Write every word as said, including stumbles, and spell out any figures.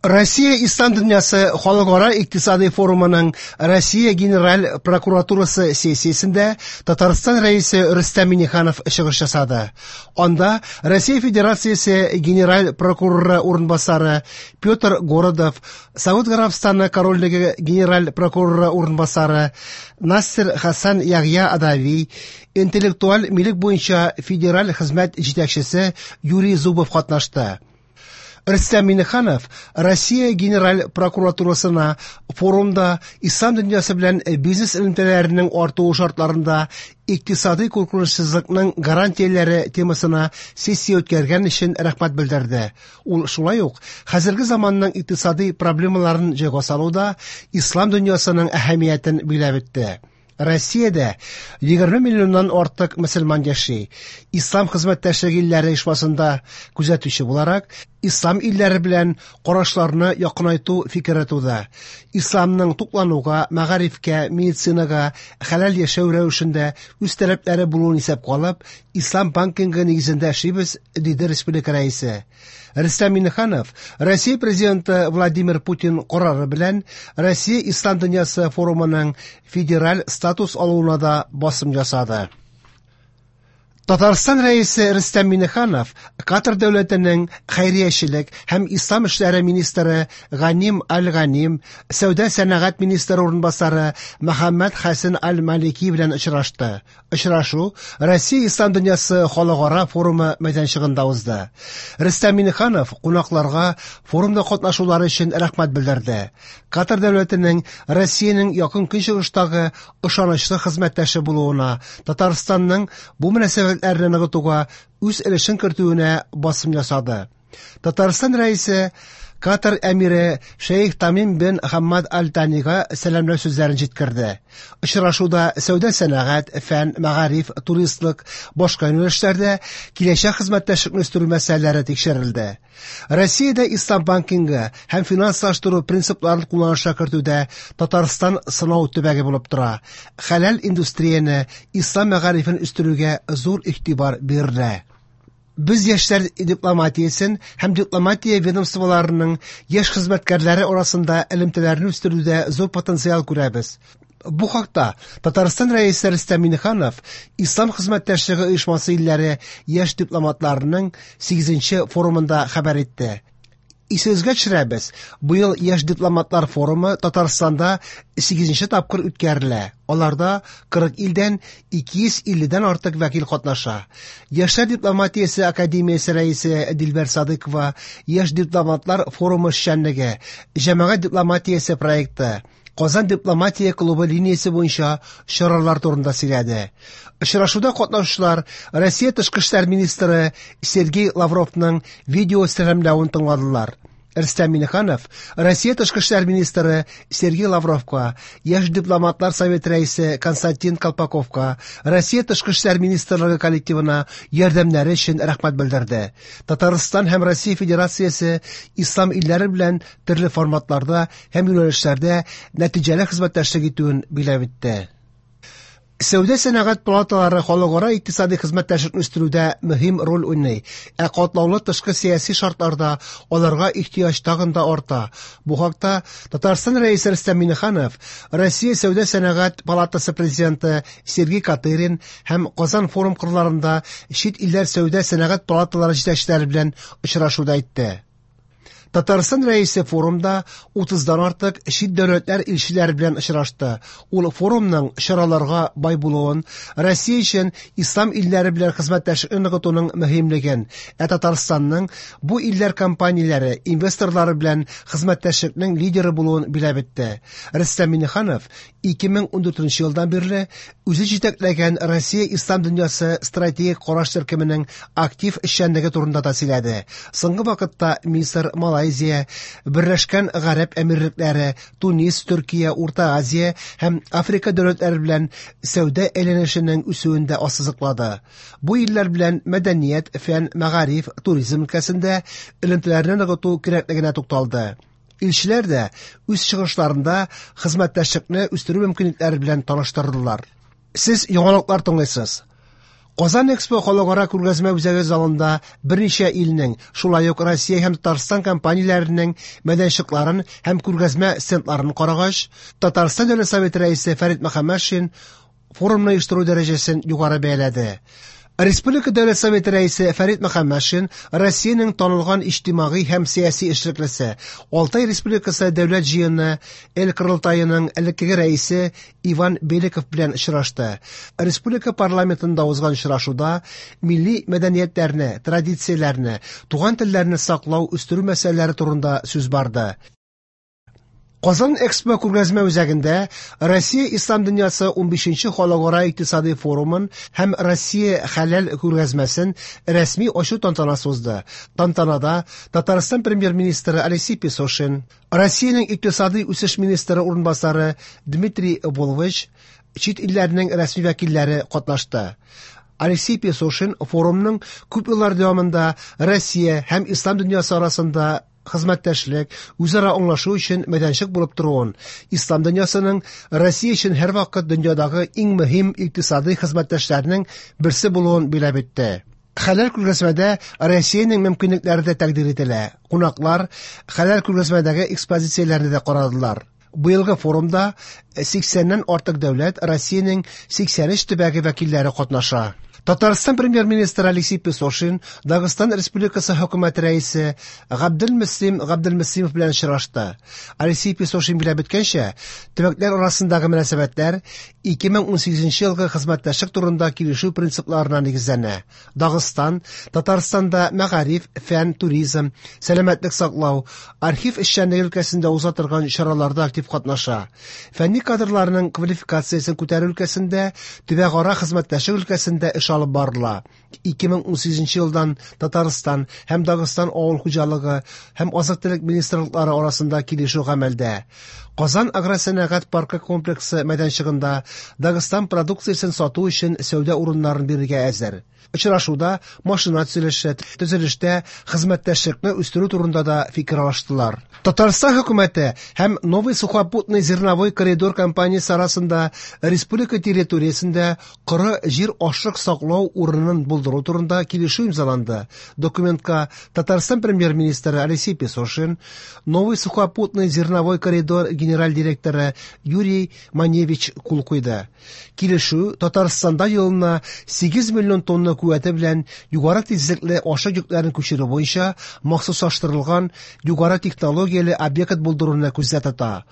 Россия Ислам дөньясы халыкара икътисади форумының Россия Генераль прокуратурасы сессиясендә Татарстан Рәисе Рөстәм Миңнеханов чыгыш ясады. Анда Россия Федерациясе Генераль прокуроры урынбасары Петр Городов, Сауд Гарәбстаны Корольлеге Генераль прокуроры урынбасары Нассер Хасан Ягъя Адави, интеллектуаль милек буенча федераль хезмәт җитәкчесе Юрий Зубов катнашты. Рөстәм Миңнеханов Россия Генераль прокуратурасына форумда ислам дөньясы белән бизнес элемтәләренең артуы шартларында икътисади куркынычсызлыкның гарантияләре темасына сессия үткәргән өчен рәхмәт белдерде. Ул шулай ук хәзерге заманның икътисади проблемаларын җайга салуда ислам дөньясының әһәмиятен билгеләп үтте. Россиядә егерме миллионнан артык мөселман яши. Ислам хезмәттәшлеге илләре оешмасында күзәтүче буларак, ислам илләре белән карашларны якынайту фикере туды. Исламның туклануга, мәгарифкә, медицинага, хәләл яшәү рәвешендә үз таләпләре булуын исәпкә алып, ислам банкингы нигезендә эшлибез, диде республика рәисе. Рөстәм Миңнеханов Россия президенты Владимир Путин карары белән Россия Ислам дөньясы форумының федераль статус алуына да басым ясады. Татарстан Рәисе Рөстәм Миңнеханов Катар дәүләтенең хәйриячелек һәм ислам эшләре министры Ганим Аль-Ганим, сәүдә сәнәгать министры урынбасары Мөхәммәд Хәсен Аль-Малики белән очрашты. Очрашу Россия Ислам дөньясы халыкара форумы мәйданчыгында узды. Рөстәм Миңнеханов кунакларга форумда катнашулары өчен рәхмәт белдерде. Катар дәүләтенең Россиянең якын көнчыгыштагы ышанычлы хезмәттәше булуына, Татарстанның бу мөнәсәбәтләрне ныгытуга үз өлешен кертүенә басым ясады. Татарстан Рәисе Катар әмире Шейх Тамим бен Хаммад Аль-Танига сәламләү сүзләрен җиткерде. Очрашуда сәүдә сәнәгать, фән, мәгариф, туристлык, башка юнәлешләрдә киләчәк хезмәттәшлекне үстерү мәсьәләләре тикшерелде. Россиядә ислам банкингы һәм финанслаштыру принципларын кулланышка кертүдә Татарстан сынау төбәге булып тора. Хәләл индустрияне, ислам мәгарифен үстерүгә зур игътибар бирелә. Без яшьләр дипломатиясен һәм дипломатия ведомстволарының яшь хезмәткәрләре арасында элемтәләрне үстерүдә зур потенциал күрәбез. Бу хакта Татарстан Рәисе Рөстәм Миңнеханов Ислам хезмәттәшлеге оешмасы илләре яшь дипломатларының сигезенче форумында хәбәр итте. Исегезгә төшерәбез, быел яшь дипломатлар форумы Татарстанда сигезенче тапкыр үткәрелә. Аларда кырык илдән ике йөз илледән артык вәкил катнаша. Яшьләр дипломатиясе академиясе рәисе Дилбәр Садыкова яшь дипломатлар форумы эшчәнлеге, җәмәгать дипломатиясе проекты, Казан дипломатия клубы линиясе буенча чаралар турында сөйләде. Очрашуда катнашучылар Россия тышкы эшләр министры Сергей Лавровның видео сәламләвен тыңладылар. Рөстәм Миңнеханов Россия тышкы эшләр министры Сергей Лавровка, яшь дипломатлар советы рәисе Константин Колпаковка, Россия тышкы эшләр министрлыгы коллективына ярдәмнәре өчен рәхмәт белдерде. Татарстан һәм Россия Федерациясе ислам илләре белән төрле форматларда һәм юнәлешләрдә нәтиҗәле хезмәттәшлек итүен билгеләп үтте. Сәүдә сәнәгать палаталары халыкара икътисади хезмәттәшлекне үстерүдә мөһим роль уйный, ә катлаулы тышкы сәяси шартларда аларга ихтыяҗ тагын да арта. Бу хакта Татарстан Рәисе Рөстәм Миңнеханов, Россия Сәүдә сәнәгать палатасы президенты Сергей Катырин һәм Казан форум кырларында чит илләр сәүдә сәнәгать палаталары җитәкчеләре белән очрашуда әйтте. Татарстан Рәисе форумда утыздан артык чит дәүләтләр илчеләре белән очрашты. Ул форумның чараларга бай булуын, Россия өчен ислам илләре белән хезмәттәшлекне ныгытуның мөһимлеген, ә Татарстанның бу илләр компанияләре, инвесторлары белән хезмәттәшлекнең лидеры булуын билгеләп үтте. Рөстәм Миңнеханов ике мең ундүртенче елдан бирле үзе җитәкләгән Россия Ислам дөньясы стратегик караш төркеменең актив эшчәнлеге турында да сөйләде. Соңгы вакытта Мисыр, Малайзия, Берләшкән Гарәп Әмирлекләре, Тунис, Төркия, Урта Азия һәм Африка дәүләтләре белән сәүдә әйләнешенең үсүен дә ассызыклады. Бу илләр белән мәдәният, фән, мәгариф, туризм өлкәсендә элемтәләрне ныгыту кирәклегенә тукталды. Илчеләр дә үз чыгышларында хезмәттәшлекне үстерү мөмкинлекләре белән таныштырдылар. Сез яңалыклар тыңлыйсыз. Казан Экспо халыкара күргәзмә үзәге залында берничә илнең, шулай ук Россия һәм Татарстан компанияләренең мәйданчыкларын һәм күргәзмә стендларын карагач, Татарстан Дәүләт Советы рәисе Фәрит Мөхәммәтшин форумны оештыру дәрәҗәсен югары бәяләде. Республика Дәүләт Советы рәисе Фәрит Мөхәммәтшин Россиянең танылган иҗтимагый һәм сәяси эшлеклесе, Алтай Республикасы Дәүләт җыены Эл Корылтаеның элеккеге рәисе Иван Беликов белән очрашты. Республика парламентында узган очрашуда милли мәдәниятләрне, традицияләрне, туган телләрне саклау, үстерү мәсьәләләре турында сүз барды. Казан Экспо күргәзмә үзәгендә Россия Ислам дөньясы унбишенче халыкара икътисади форумын һәм Россия хәләл күргәзмәсен рәсми ачу тантанасы узды. Тантанада Татарстан премьер-министры Алексей Песошин, Россиянең икътисади үсеш министры урынбасары Дмитрий Волович, чит илләрнең рәсми вәкилләре катнашты. Алексей Песошин форумның күп еллар дәвамында Россия һәм Ислам дөньясы арасында хезмәттәшлек, үзара аңлашу өчен мәйданчык булып торуын, Ислам дөньясының Россия өчен һәрвакыт дөньядагы иң мөһим икътисади хезмәттәшләрнең берсе булуын билгеләп үтте. Хәләл күргәзмәдә Россиянең мөмкинлекләре дә тәкъдир ителә. Кунаклар хәләл күргәзмәдәге экспозицияләрне дә карадылар. Быелгы форумда сиксәннән артык дәүләт Россиянең сиксән өч төбәге вәкилләре катнаша. Татарстан премьер-министры Алексей Песошин Дагыстан Республикасы хөкүмәте рәисе Габделмөслим Габделмөслимов белән очрашты. Алексей Песошин билгеләп үткәнчә, төбәкләр арасындагы мөнәсәбәтләр ике мең унсигезенче елгы хезмәттәшлек турында килешү принципларына нигезләнә. Дагыстан Татарстанда мәгариф, фән, туризм, сәламәтлек саклау, архив эшчәнлеге өлкәсендә уза торган чараларда актив катнаша. Фәнни кадрларның квалификациясен күтәрү өлкәсендә, төбәкара хезмәттәшлек өлкәсендә эш алып барыла. ике мең унсигезенче елдан Татарстан һәм Дагыстан авыл хуҗалыгы һәм азык-төлек министрлыклары арасында килешү гамәлдә. Казан агросәнәгать паркы комплексы мәйданчыгында Дагыстан продукциясен сату өчен сәүдә урыннарын бирергә әзер. Очрашуда машина төзелеше, төзелештә хезмәттәшлекне үстерү турында да фикер алыштылар. Татарстан хөкүмәте һәм Новый сухопутный зерновой коридор компаниясе арасында республика территориясендә коры җир ашлык саклау урынын булдыру турында килешү имзаланды. Документка Татарстан премьер-министры Алексей Песошин, Новый сухопутный зерновой коридор генераль директоры Юрий Маневич кул куйды. Килешү Татарстанда елына сигез миллион тонна куәте белән югары тизлекле ашлык йөкләрен күчерү буенча махсуслаштырылган югары технологияле объект булдыруны күздә тота.